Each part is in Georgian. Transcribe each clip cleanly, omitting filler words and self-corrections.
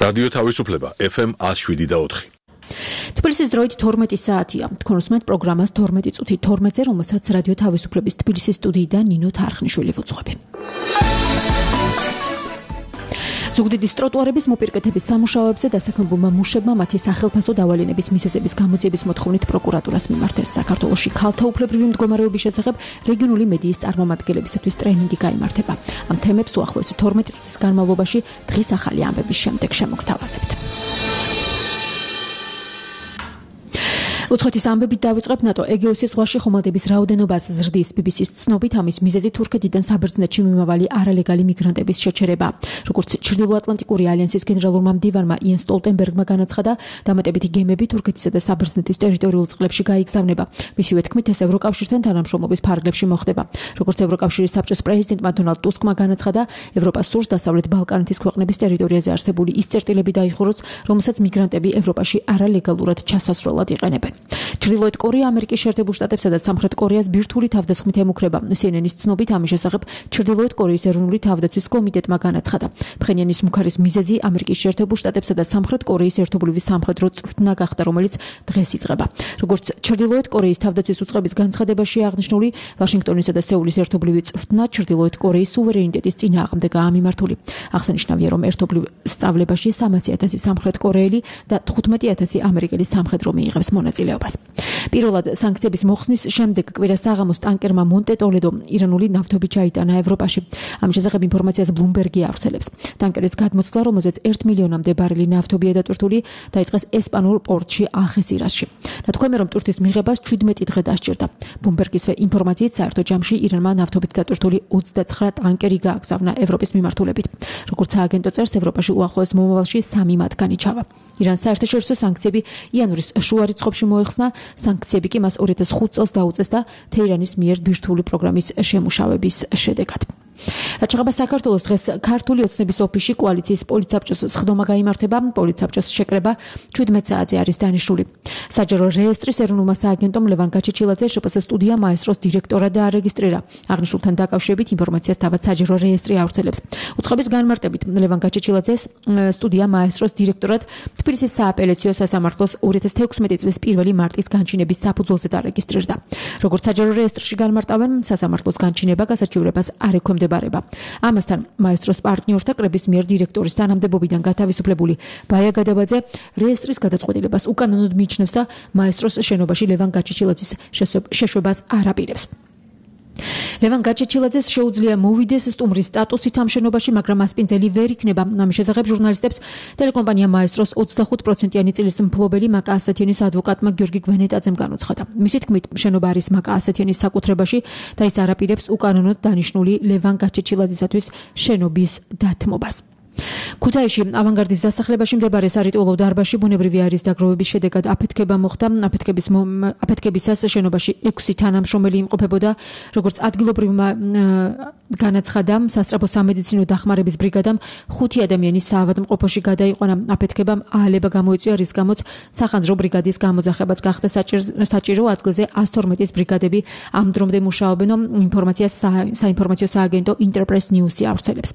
რადიო თავისუფლება FM 107.4. თბილისის დროით 12 საათია. თქვენ უსმენთ პროგრამას 12 წუთი 12-ზე, რომელსაც რადიო თავისუფლების თბილისის სტუდიიდან ნინო თარხნიშვილი ვუძღვები. ზუგდიდის ტროტუარების მოპირკეთების სამუშაოებზე დასაქმებულმა მუშებმა მათი სახელფასო დავალენების მიზეზების გამოძიების მოთხოვნით პროკურატურას მიმართეს. საქართველოში ქალთა უფლებრივი მდგომარეობის შესახებ რეგიონული მედიის წარმომადგენლებისათვის ტრენინგი გაიმართება. ამ თემებს უახლოესი 12 წუთის განმავლობაში დღის ახალი ამბების შემდეგ შემოგთავაზებთ. უცხოეთის ამბებით დავიწყებ. ნატო ეგეოსის ზღვაში ხომალდების რაოდენობას ზრდის. BBC-ს ცნობით ამის მიზეზი თურქეთიდან საბერძნეთში მიმავალი არალეგალი მიგრანტების შეჩერება. როგორც ჩრდილოატლანტიკური ალიანსის გენერალურმა მდივანმა იენ სტოლტენბერგმა განაცხადა, დამატებითი გემები თურქეთისა და საბერძნეთის ტერიტორიულ წყლებში გაიგზავნება. მისივე თქმით, ეს ევროკავშირთან თანამშრომლობის ფარგლებში მოხდება. როგორც ევროკავშირის საბჭოს პრეზიდენტმა დონალდ ტუსკმა განაცხადა, ევროპას სურს დასავლეთ ბალკანეთის ქვეყნების ტერიტორიაზე არსებული ის წერტილები დაიხუროს, რომელსაც მიგრანტები ევროპაში არალეგალურად ჩასასვლელად იყენებენ. ჩრდილოეთ კორეა ამერიკის შეერთებულ შტატებსა და სამხრეთ კორეას ბირთვული თავდასხმით ემუქრება. CNN-ის ცნობით ამის შესახებ ჩრდილოეთ კორეის ეროვნული თავდაცვის კომიტეტმა განაცხადა. ფხენიანის მუქარის მიზეზი ამერიკის შეერთებულ შტატებსა და სამხრეთ კორეის ერთობლივი სამხედრო წვრთნა გახდა, რომელიც დღეს იწყება. როგორც ჩრდილოეთ კორეის თავდაცვის უწყების განცხადებაში აღნიშნული, ვაშინგტონისა და სეულის ერთობლივი წვრთნა ჩრდილოეთ კორეის სუვერენიტეტის წინააღმდეგაა მიმართული. აღსანიშნავია, რომ ერთობლივ სწავლებაში 300,000 სამხრეთ კორეელი და 15,000 ამერიკელი სამხედრო მიიღებს მონაწილეობას. პირველად სანქციების მოხსნის შემდეგ კვირას საღამოს ტანკერმა მონტე-ტოლედო ირანული ნავთობი ჩაიტანა ევროპაში. ამ შესახებ ინფორმაციას ბლუმბერგი ავრცელებს. ტანკერის გადმოცვლა, რომელზეც 1 მილიონამდე ბარელი ნავთობია დატვირთული, დაიწყეს ესპანურ პორტში ალხესირასში. ნათქვამია, რომ ტვირთის მიღებას 17 დღე დასჭირდა. ბლუმბერგისვე ინფორმაციით, საერთო ჯამში ირანმა ნავთობით დატვირთული 29 ტანკერი გააგზავნა ევროპის მიმართულებით. როგორც სააგენტო წერს, ევროპაში უახლოეს მომავალში 3 მათგანი ჩავა. ირანს საერთაშორისო სანქციები იანვრის შუა რიცხვებში მოეხსნა. სანქციები კი მას 2005 წელს დაუწესდა თეირანის მიერ ბირთვული პროგრამის შემუშავების შედეგად. რაც შეეხება საქართველოს, დღეს ქართული ოცნების ოფისში კოალიციის პოლიცსაბჭოს სხდომა გაიმართება. პოლიცსაბჭოს შეკრება 17 საათზე არის დანიშნული. საჯარო რეესტრის ეროვნულმა სააგენტომ ლევან გაჩეჩილაძე შპს სტუდია მაესტროს დირექტორად დაარეგისტრირა. აღნიშნულთან დაკავშირებით ინფორმაციას თავად საჯარო რეესტრი ავრცელებს. უწყების განმარტებით ლევან გაჩეჩილაძეს სტუდია მაესტროს დირექტორად თბილისის სააპელაციო სასამართლოს 2016 წლის 1 მარტის განჩინების საფუძველზე დარეგისტრირდა. როგორც საჯარო რეესტრში განმარტავენ, სასამართლოს განჩინება გასაჩივრებას არ ექვემდებარება. ამასთან მაესტროს პარტნიორთა კრების მიერ დირექტორის თანამდებობიდან გათავისუფლებული ბაია გადაბაძე რეესტრის გადაწყვეტილებას უკანონოდ მიიჩნევს და მაესტროს შენობაში ლევან გაჩეჩილაძის შეშვებას არ აპირებს. ლევან გაჩეჩილაძეს შეუძლია მოვიდეს სტუმრის სტატუსით ამ შენობაში, მაგრამ მასპინძელი ვერ იქნება. ამის შესახებ ჟურნალისტებს ტელეკომპანია მაესტროს 25%-იანი წილის მფლობელი მაკა ასათიანის ადვოკატმა გიორგი გვენეტაძემ განუცხადა. მისი თქმით, შენობა არის მაკა ასათიანის საკუთრებაში და ის არ აპირებს უკანონოდ დანიშნული ლევან გაჩეჩილაძისათვის შენობის დათმობას. ქუთაისში ავანგარდის დასახლებაში მდებარე სარიტუალო დარბაზში ბუნებრივი აირის დაგროვების შედეგად აფეთქება მოხდა. აფეთქებისას შენობაში 6 თანამშრომელი იმყოფებოდა. როგორც ადგილობრივმა განაცხადა, სასწრაფო სამედიცინო დახმარების ბრიგადამ 5 ადამიანის საავადმყოფოში გადაიყვანა. აფეთქებამ აალება გამოიწვია, რის გამოც სახანძრო ბრიგადის გამოძახებაც გახდა საჭირო. ადგილზე 112-ის ბრიგადები ამ დრომდე მუშაობენ. ინფორმაციას საინფორმაციო სააგენტო ინტერპრეს ნიუსი ავრცელებს.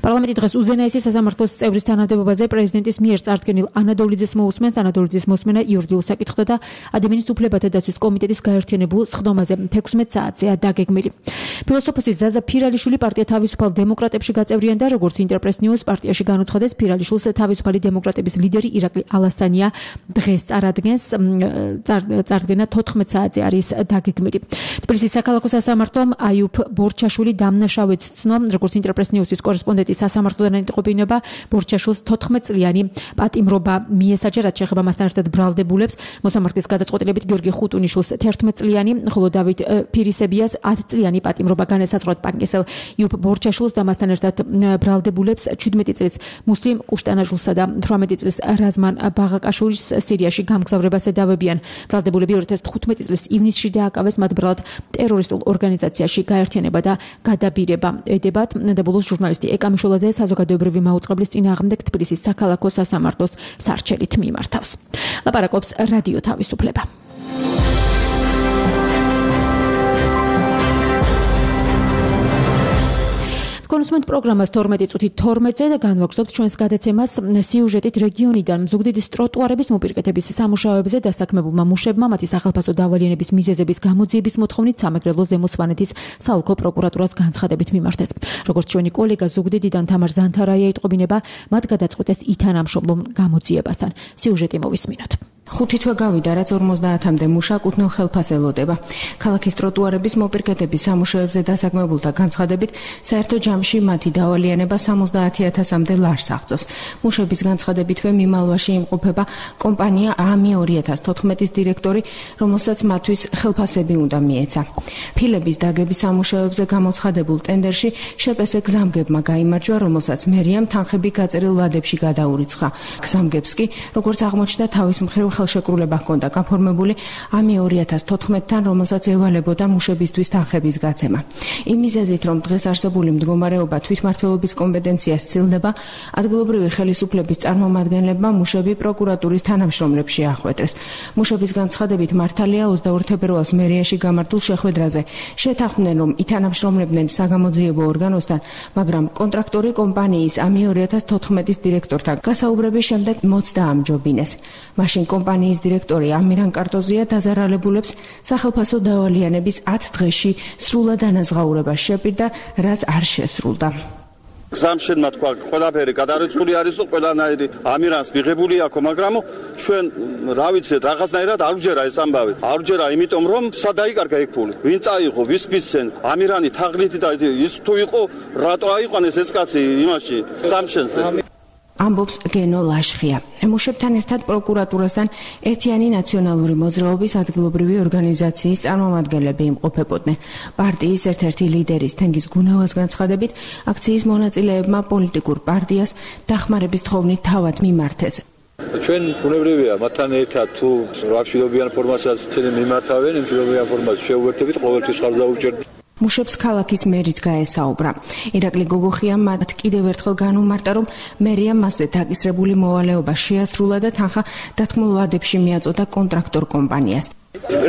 პარლამენტი დღეს უზენაესი სასამართლოს წევრის თანამდებობაზე პრეზიდენტის მიერ წარდგენილ ანადოლიძეს მოусმენს. ანადოლიძის მოსმენა იურიდიულ საკითხთა და ადამიანის უფლებათა დაცვის კომიტეტის გაერთიანებულ სხდომაზე 16 საათზეა დაგეგმილი. ფილოსოფოსი ზაზა ფირალიშვილი პარტია თავისუფალ დემოკრატებში გაწევრიანდა. როგორც ინტერპრეს ნიუს პარტიაში განუცხადეს, ფირალიშვილს თავისუფალი დემოკრატების ლიდერი ირაკლი ალასანია დღეს წარადგენს. წარდგენა 14 საათზე არის დაგეგმილი. თბილისის საქალაქო სასამართლომ აიუფ ბორჩაშვილი დამნაშავედ ცნო. როგორც ინტერპრეს ნიუსის კორესპონდენტი სასამართლოდან ეტყობინება, ბორჩაშვილს 14 წლიანი პატიმრობა მიესაჯა, რაც შეეხება მასთან ერთად ბრალდებულებს. მოსამართლის გადაწყვეტილებით გიორგი ხუტუნიშვილს 11 წლიანი, ხოლო დავით ფირისებიას 10 წლიანი პატიმრობა განესაზღვრა. პანკესელ იუფ ბორჩაშვილს და მასთან ერთად ბრალდებულებს 17 წლის მუსლიმ კუშტანაჟულსა და 18 წლის რაზმან ბაღაკაშვილის სირიაში გამგზავრებას ედავებიან. ბრალდებულები 2015 წლის ივნისში დააკავეს, მათ ბრალად ტერორისტულ ორგანიზაციაში გაერთიანება და გადაბირება ედებათ. და ბოლოს ჟურნალისტი ეკამიშულაძე საზოგადოებრივი მაუწყებლის წინააღმდეგ თბილისის საქალაქო სასამართლოს სარჩელით მიმართავს. ლაპარაკობს რადიო თავისუფლება. თქვენ ჩვენ პროგრამას 12 წუთი 12-ზე და განვაგრძობთ ჩვენს გადაცემას სიუჟეტით რეგიონიდან მზუგდიდის ტროტუარების მოპირკეთების სამუშაოებზე დასაქმებულმა მუშებმა მათი სახალხო დავალიანების მიზეზების გამოძიების მოთხოვნით სამეგრელო ზემო სვანეთის საოლქო პროკურატურას განცხადებით მიმართეს. როგორც ჩვენი კოლეგა ზუგდიდიდან თამარ ზანთარაია იტყობინება, მათ გადაწყვეტეს ითანამშრომლო გამოძიებასთან. სიუჟეტი მოვისმინოთ. 5 თვე გავიდა, რაც 50-მდე მუშა კუთვნილ ხელფას ელოდება. ქალაქის ტროტუარების მოპირკეთების სამუშაოებზე დასაქმებულთა განცხადებით, საერთო ჯამში მათი დავალიანება 70,000-მდე ლარს აღწევს. მუშების განცხადებითვე მიმალვაში იმყოფება კომპანია AMI 2014-ის დირექტორი, რომელსაც მათთვის ხელფასები უნდა მიეცა. ფილების დაგების სამუშაოებზე გამოცხადებულ ტენდერში შეპესე გზამგებმა გაიმარჯვა, რომელსაც მერიამ თანხები გაწერილ ვადებში გადაურიცხა. გზამგებს კი, როგორც აღმოჩნდა, თავის მხრივ ხელშეკრულება ჰქონდა გაფორმებული AMI 2014-თან, რომელსაც ევალებოდა მუშებისთვის თანხების გაცემა. იმ მიზეზით, რომ დღეს არსებული მდგომარეობა თვითმმართველობის კომპეტენციას სცილდება, ადგილობრივი ხელისუფლების წარმომადგენლებმა მუშები პროკურატურის თანამშრომლებში ახვედრეს. მუშების განცხადებით მართალია 22 თებერვალს მერიაში გამართულ შეხვედრაზე შეთანხმდნენ, რომ ითანამშრომლებდნენ საგამოძიებო ორგანოსთან, მაგრამ კონტრაქტორი კომპანიის AMI 2014-ის დირექტორთან გასაუბრების შემდეგ მოცდა ამჯობინეს. მაშინ კომპანიის დირექტორი ამირან კარტოზია დაზარალებულებს სახელფასო დავალიანების 10 დღეში სრულად ანაზღაურებას შეპირდა, რაც არ შესრულდა. გზამშენმა თქვა, ყველაფერი გადარიცხული არისო, ყველანაირი ამირანს მიღებული აქვს, მაგრამ ჩვენ რა ვიცით, რაღაცნაირად არ ვჯერა ეს ამბავი. არ ვჯერა, იმიტომ რომ სადაიკარგა ეგ ფული. ვინ წაიღო, ვის მისცენ? ამირანი თაღლითი და ის თუ იყო, რატო აიყვანეს ეს კაცი იმაში გზამშენზე? ამბობს გენო ლაშხია. მუშებთან ერთად პროკურატურასთან ერთიანი ნაციონალური მოძრაობის ადგილობრივი ორგანიზაციის წარმომადგენლები იმყოფებოდნენ. პარტიის ერთ-ერთი ლიდერის თენგიზ გუნავას განცხადებით, აქციის მონაწილეებმა პოლიტიკურ პარტიას დახმარების თხოვნით თავად მიმართეს. ჩვენ ბუნებრივია მათთან ერთად თუ რაფშილობიან ფორმასაც მიმართავენ, იმ შილობიან ფორმას შეუერთებით ყოველთვის ხარს დაუჭერთ. მუშებს ქალაქის მერიც გაესაუბრა. ირაკლი გოგოხიამ მათ კიდევ ერთხელ განუმარტა, რომ მერია მასზე დაკისრებული მოვალეობა შეასრულა და თანხა დათმულ ვადებში მიაწოდა კონტრაქტორ კომპანიას.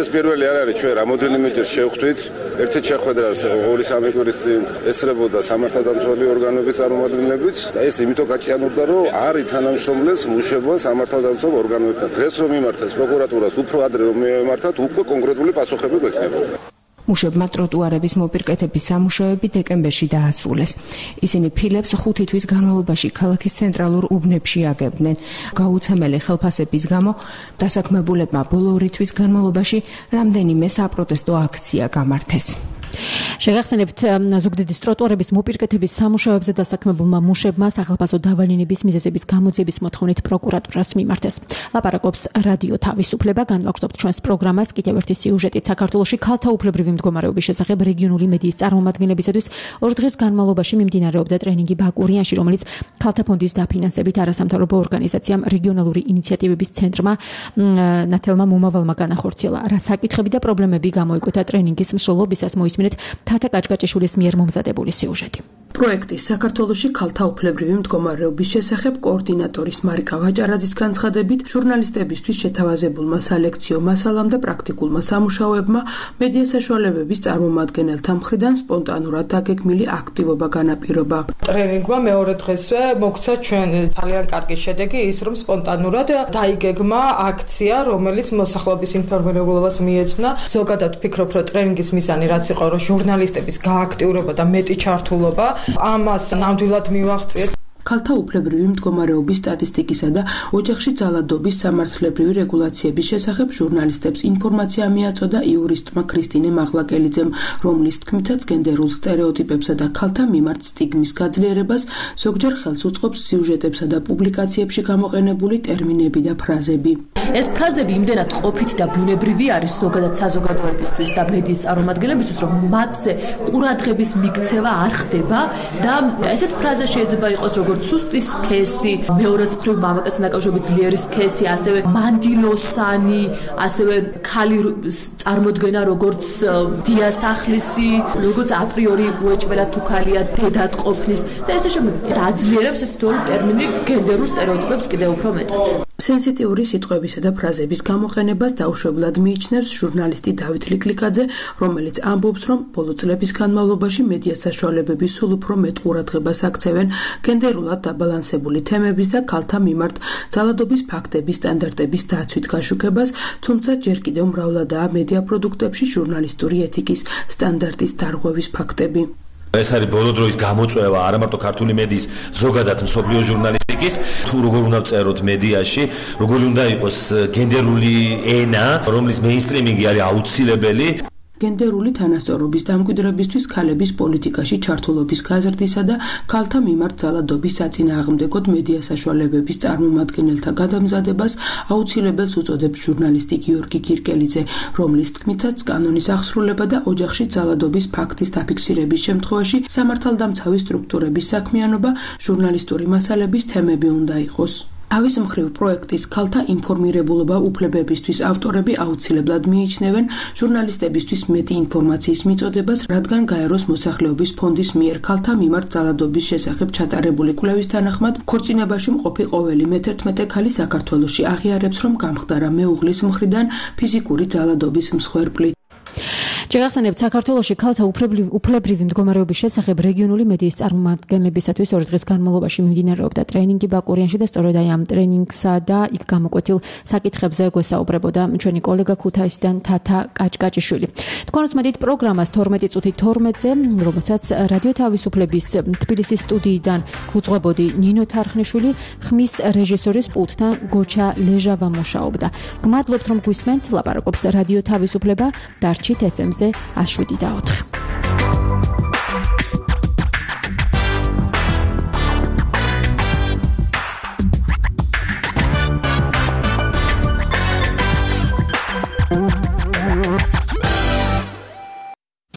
ეს პირველი არ არის, ჩვენ რამოდენიმეჯერ შევხვდით ერთ-ერთ შეხვედრას 2-3 კვირის წინ ესწრებოდა სამართალდამცავი ორგანოების წარმომადგენლებიც და ეს იმიტომ გაჭიანურდა, რომ არ ითანამშრომლეს მუშებმა სამართალდამცავ ორგანოებთან. დღეს რომ მიმართეს პროკურატურას, უფრო ადრე რომ მიმართათ, უკვე კონკრეტული პასუხები გვექნებოდა. მუშებმა ტროტუარების მოპირკეთების სამუშაოები დეკემბერში დაასრულეს. ისინი ფილებს 5 თვის განმავლობაში ქალაქის ცენტრალურ უბნებში აგებდნენ. გაუცემელი ხელფასების გამო დასაქმებულებმა ბოლო 2 თვის განმავლობაში რამდენიმე საპროტესტო აქცია გამართეს. შეგახსენებთ, ზუგდიდის ტროტუარების მოპირკეთების სამუშაოებზე დასაქმებულმა მუშებმა სახალხო დავალიანების მიზეზების გამოძიების მოთხოვნით პროკურატურას მიმართეს. ლაპარაკობს რადიო თავისუფლება, განვაგრძობთ ჩვენს პროგრამას კიდევ ერთი სიუჟეტით. საქართველოში ქალთა უფლებრივი მდგომარეობის შესახებ რეგიონული მედიის წარმომადგენლებისათვის 2 დღის განმავლობაში მიმდინარეობდა ტრენინგი ბაკურიანში, რომელიც ქალთა ფონდის დაფინანსებით არასამთავრობო ორგანიზაციამ რეგიონალური ინიციატივების ცენტრმა ნათელმა მომავალმა განახორციელა. რა საკითხები და პრობლემები გამოიკვეთა ტრენინგის მსვლელობისას მოისმინეთ თათა კაჭკაჭიშვილის მიერ მომზადებული სიუჟეტი. პროექტის საქართველოში ქალთა უფლებრივი მდგომარეობის შესახებ კოორდინატორის მარიკა ვაჭარაძის განცხადებით, ჟურნალისტებისთვის შეთავაზებულმა სალექციო მასალამ და პრაქტიკულმა სამუშაოებმა მედია საშუალებების წარმომადგენელთა მხრიდან სპონტანურად დაგეგმილი აქტივობა განაპირობა. ტრენინგმა მეორე დღესვე მოგცა ჩვენ ძალიან კარგი შედეგი ის, რომ სპონტანურად დაიგეგმა აქცია, რომელიც მოსახლეობის ინფორმირებულობას მიეძღვნა. ზოგადად ვფიქრობ, რომ ტრენინგის მიზანი რაც იყო, რომ ჟურნალისტების გააქტიურება და მეტი ჩართულობა ამას ნამდვილად მივაღწიეთ. ქალთა უფლებრივი მდგომარეობის სტატისტიკისა და ოჯახში ძალადობის სამართლებრივი რეგულაციების შესახებ ჟურნალისტებს ინფორმაცია მიაწოდა იურისტმა ქრისტინე მაღლაკელიძემ, რომლის თქმითაც გენდერულ სტერეოტიპებსა და ქალთა მიმართ სტიგმის გაძლიერებას ზოგჯერ ხელს უწყობს სიუჟეტებსა და პუბლიკაციებში გამოყენებული ტერმინები და ფრაზები. ეს ფრაზები იმდენად ყოფითი და ბუნებრივი არის ზოგადად საზოგადოებისთვის და მედიის წარმომადგენლებისთვის, რომ მათზე ყურადღების მიქცევა არ ხდება და ესეთ ფრაზა შეიძლება იყოს როგორც სუსტის სქესი, მეორეს მხრივ მამაკაცთან დაკავშირებით ძლიერის სქესი, ასევე მანდილოსანი, ასევე ქალი წარმოდგენა როგორც დიასახლისი, როგორც აპრიორი უეჭველად თუ ქალია დედად ყოფნის და ესე შემდეგ. აძლიერებს ეს თითოეული ტერმინი გენდერულ სტერეოტიპებს კიდევ უფრო მეტად. სენსიტიური სიტყვებისა და ფრაზების გამოყენებას დაუშვებლად მიიჩნევს ჟურნალისტი დავით ლიკლიკაძე, რომელიც ამბობს, რომ ბოლო წლების განმავლობაში მედია საშუალებები სულ უფრო მეტ ყურადღებას აქცევენ გენდერულად დაბალანსებული თემების და ქალთა მიმართ ძალადობის ფაქტების სტანდარტების დაცვით გაშუქებას, თუმცა ჯერ კიდევ მრავლადაა მედია პროდუქტებში ჟურნალისტური ეთიკის სტანდარტის დარღვევის ფაქტები. ეს არის ბოლო დროის გამოწვევა არა მარტო ქართული მედიის, ზოგადად მსოფლიო ჟურნალისტიკის, თუ როგორ უნდა წეროთ მედიაში, როგორ უნდა იყოს გენდერული ენა, რომლის მეინსტრიმინგი არის აუცილებელი. გენდერული თანასწორობის დამკვიდრებისთვის ქალების პოლიტიკაში ჩართულობის გაზრდისა და ქალთა მიმართ ძალადობის საწინააღმდეგოდ მედია საშუალებების წარმომადგენელთა გადამზადებას აუცილებელს უწოდებს ჟურნალისტი გიორგი გირკელიძე, რომლის თქმითაც კანონის აღსრულება და ოჯახში ძალადობის ფაქტის დაფიქსირების შემთხვევაში სამართალდამცავი სტრუქტურების საქმიანობა ჟურნალისტური მასალების თემები უნდა იყოს. Avis მხრივ პროექტის ქალთა ინფორმირებულობა უფლებებისთვის ავტორები აუცილებლად მიიჩნევენ ჟურნალისტებისთვის მეტი ინფორმაციის მიწოდებას, რადგან გაეროს მოსახლეობის ფონდის მიერ ქალთა მიმართ ძალადობის შესახებ ჩატარებული კვლევის თანახმად, ქორწინებაში მყოფი ყოველი მე-11 ქალი საქართველოში აღიარებს, რომ გამხდარა მეუღლის მხრიდან ფიზიკური ძალადობის მსხვერპლი. შეგახსენებთ, საქართველოში ქალთა უფლებრივი მდგომარეობის შესახებ რეგიონული მედიის წარმომადგენლებისათვის 2 დღის განმავლობაში მიმდინარეობდა ტრენინგი ბაკურიანში და სწორედ აი ამ ტრენინგსა და იქ გამოკვეთილ საკითხებზე გვესაუბრებოდა ჩვენი კოლეგა ქუთაისიდან თათა კაჭკაჭიშვილი. თქვენ უსმენთ პროგრამას 12 წუთი 12-ზე, რომელსაც რადიო თავისუფლების თბილისის სტუდიიდან გუძღვებოდი ნინო თარხნიშვილი, ხმის რეჟისორის პულტთან გოჩა ლეჟავა მუშაობდა. გმადლობთ, რომ გვისმენთ, ლაპარაკობს რადიო თავისუფლება, დარჩით FM-ზე 107.4.